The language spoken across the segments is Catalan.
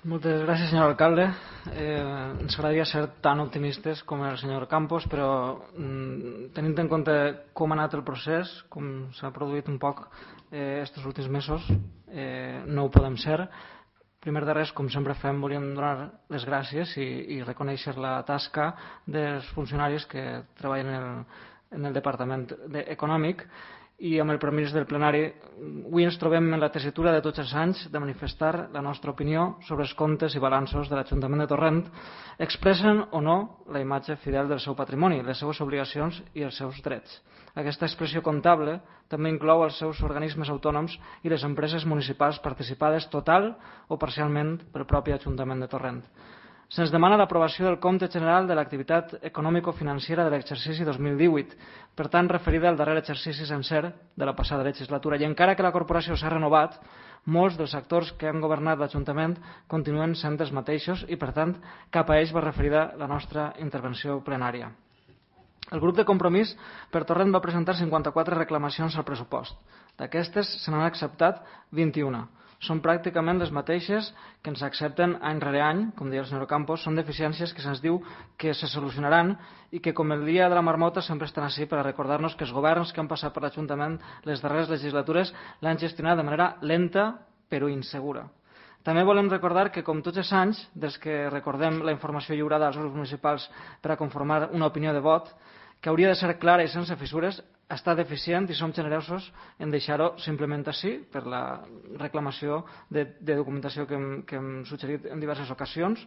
Moltes gràcies, senyor alcalde. Ens agradaria ser tan optimistes com el senyor Campos, però tenint en compte com ha anat el procés, com s'ha produït un poc estos últims mesos, no ho podem ser. Primer de res, com sempre fem, volíem donar les gràcies i reconèixer la tasca dels funcionaris que treballen en el Departament Econòmic. I amb el permís del plenari, avui ens trobem en la tessitura de tots els anys de manifestar la nostra opinió sobre els comptes i balanços de l'Ajuntament de Torrent, expressen o no la imatge fidel del seu patrimoni, les seves obligacions i els seus drets. Aquesta expressió comptable també inclou els seus organismes autònoms i les empreses municipals participades total o parcialment pel propi Ajuntament de Torrent. Se'ns demana l'aprovació del compte general de l'activitat econòmico-financera de l'exercici 2018, per tant referida al darrer exercici sencer de la passada legislatura. I encara que la corporació s'ha renovat, molts dels actors que han governat l'Ajuntament continuen sent els mateixos i, per tant, cap a ells va referida la nostra intervenció plenària. El grup de Compromís per Torrent va presentar 54 reclamacions al pressupost. D'aquestes se n'han acceptat 21. Són pràcticament les mateixes que ens accepten any rere any, com deia el senyor Campos, són deficiències que se'ns diu que se solucionaran i que, com el dia de la marmota, sempre estan així per a recordar-nos que els governs que han passat per l'Ajuntament les darreres legislatures l'han gestionat de manera lenta però insegura. També volem recordar que, com tots els anys, des que recordem la informació lliurada als grups municipals per a conformar una opinió de vot, que hauria de ser clara i sense fissures, està deficient i som generosos en deixar-ho simplement així per la reclamació de documentació que hem suggerit en diverses ocasions.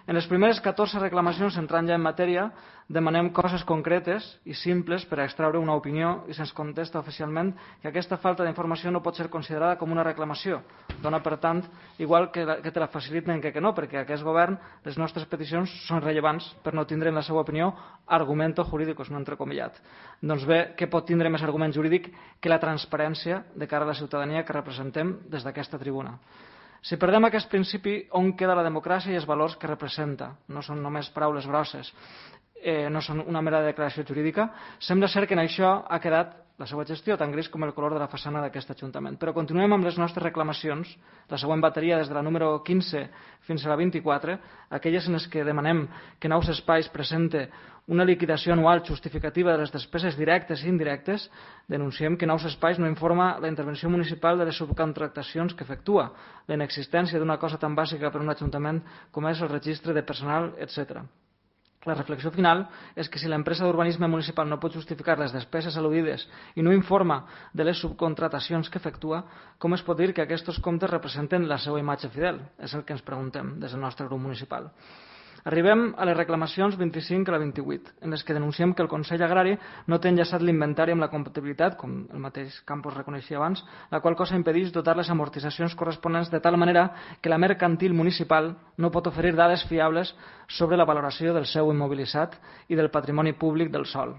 En les primeres 14 reclamacions, entrant ja en matèria, demanem coses concretes i simples per a extraure una opinió i se'ns contesta oficialment que aquesta falta d'informació no pot ser considerada com una reclamació. Dona, per tant, igual que te la faciliten que no, perquè aquest govern, les nostres peticions són rellevants per no tindre en la seva opinió argumento jurídicos, no entrecomillat. Doncs bé, què pot tindre més argument jurídic que la transparència de cara a la ciutadania que representem des d'aquesta tribuna? Si perdem aquest principi, on queda la democràcia i els valors que representa? No són només paraules grosses, no són una mera declaració jurídica. Sembla ser que en això ha quedat la seva gestió, tan gris com el color de la façana d'aquest Ajuntament. Però continuem amb les nostres reclamacions, la següent bateria des de la número 15 fins a la 24, aquelles en les que demanem que Nous Espais presente una liquidació anual justificativa de les despeses directes i indirectes. Denunciem que Nous Espais no informa la intervenció municipal de les subcontractacions que efectua, la inexistència d'una cosa tan bàsica per a un ajuntament com és el registre de personal, etc. La reflexió final és que si l'empresa d'urbanisme municipal no pot justificar les despeses al·ludides i no informa de les subcontratacions que efectua, com es pot dir que aquests comptes representen la seva imatge fidel? És el que ens preguntem des del nostre grup municipal. Arribem a les reclamacions 25 a la 28, en les que denunciem que el Consell Agrari no té enllaçat l'inventari amb la comptabilitat, com el mateix Campos reconeixia abans, la qual cosa impedeix dotar les amortitzacions corresponents de tal manera que la mercantil municipal no pot oferir dades fiables sobre la valoració del seu immobilitzat i del patrimoni públic del sòl.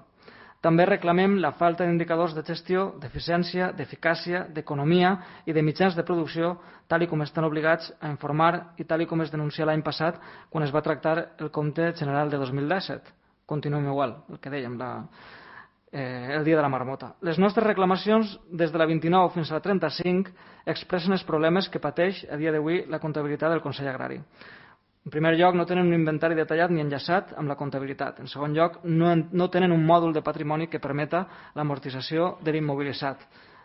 També reclamem la falta d'indicadors de gestió, d'eficiència, d'eficàcia, d'economia i de mitjans de producció, tal com estan obligats a informar i tal com es denuncia l'any passat quan es va tractar el compte general de 2017. Continuem igual, el que dèiem, el dia de la marmota. Les nostres reclamacions, des de la 29 fins a la 35, expressen els problemes que pateix a dia d'avui la comptabilitat del Consell Agrari. En primer lloc, no tenen un inventari detallat ni enllaçat amb la comptabilitat. En segon lloc, no tenen un mòdul de patrimoni que permeta l'amortització de l'immobilitzat.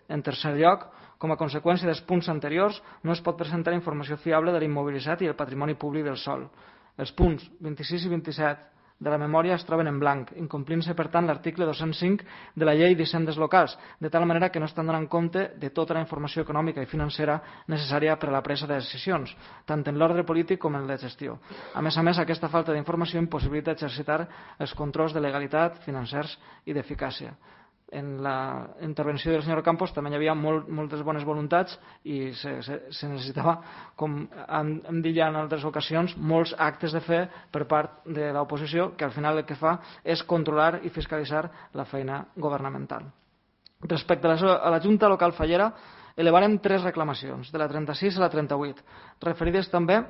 En tercer lloc, com a conseqüència dels punts anteriors, no es pot presentar informació fiable de l'immobilitzat i el patrimoni públic del sòl. Els punts 26 i 27 de la memòria es troben en blanc, incomplint-se, per tant, l'article 205 de la Llei d'Hisendes Locals, de tal manera que no estan donant compte de tota la informació econòmica i financera necessària per a la presa de decisions, tant en l'ordre polític com en la gestió. A més, aquesta falta d'informació impossibilita exercitar els controls de legalitat, financers i d'eficàcia. En la intervenció del senyor Campos també hi havia moltes bones voluntats i se necessitava, com hem dit ja en altres ocasions, molts actes de fe per part de l'oposició, que al final el que fa és controlar i fiscalitzar la feina governamental. Respecte a la Junta Local Fallera, elevarem 3 reclamacions, de la 36 a la 38, referides també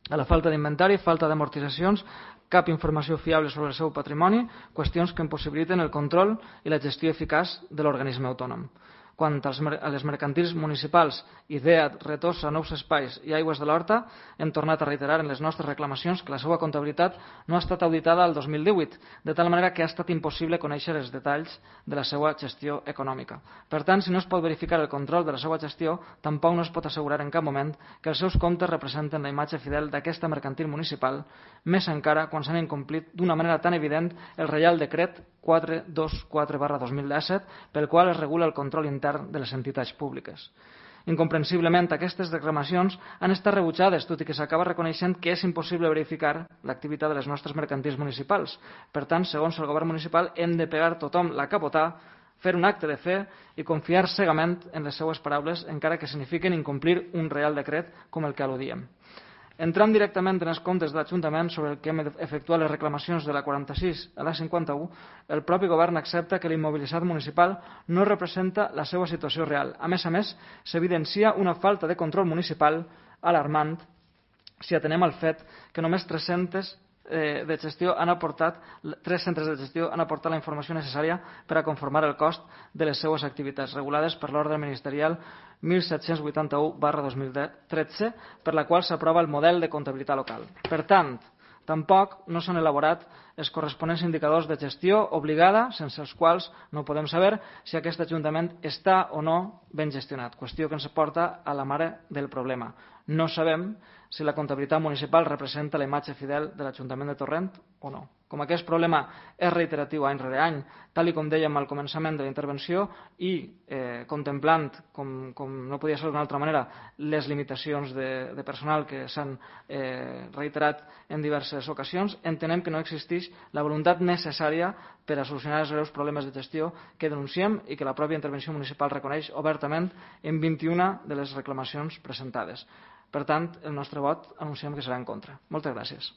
a la falta d'inventari, falta d'amortitzacions, cap informació fiable sobre el seu patrimoni, qüestions que impossibiliten el control i la gestió eficaç de l'organisme autònom. Quant a les mercantils municipals, IDEA, Retossa, Nous Espais i Aigües de l'Horta, hem tornat a reiterar en les nostres reclamacions que la seva comptabilitat no ha estat auditada el 2018, de tal manera que ha estat impossible conèixer els detalls de la seva gestió econòmica. Per tant, si no es pot verificar el control de la seva gestió, tampoc no es pot assegurar en cap moment que els seus comptes representen la imatge fidel d'aquesta mercantil municipal, més encara quan s'han incomplit d'una manera tan evident el Reial Decret 424/2017, pel qual es regula el control intern de les entitats públiques. Incomprensiblement, aquestes reclamacions han estat rebutjades, tot i que s'acaba reconeixent que és impossible verificar l'activitat de les nostres mercantils municipals. Per tant, segons el govern municipal, hem de pegar tothom la capotà, fer un acte de fe i confiar cegament en les seues paraules, encara que signifiquen incomplir un Reial Decret com el que al·ludíem. Entrant directament en els comptes de l'Ajuntament sobre el que hem efectuat les reclamacions de la 46 a la 51, el propi govern accepta que l'immobilitzat municipal no representa la seva situació real. A més, s'evidencia una falta de control municipal alarmant si atenem al fet que només 3 centres de gestió han aportat la informació necessària per a conformar el cost de les seues activitats, regulades per l'ordre ministerial 1781/2013, per la qual s'aprova el model de comptabilitat local. Per tant, tampoc no s'han elaborat els corresponents indicadors de gestió obligada, sense els quals no podem saber si aquest Ajuntament està o no ben gestionat, qüestió que ens porta a la mare del problema. No sabem si la comptabilitat municipal representa la imatge fidel de l'Ajuntament de Torrent o no. Com aquest problema és reiteratiu any rere any, tal com dèiem al començament de la intervenció, i contemplant, com no podia ser d'una altra manera, les limitacions de personal que s'han reiterat en diverses ocasions, entenem que no existeix la voluntat necessària per a solucionar els greus problemes de gestió que denunciem i que la pròpia intervenció municipal reconeix obertament en 21 de les reclamacions presentades. Per tant, el nostre vot anunciem que serà en contra. Moltes gràcies.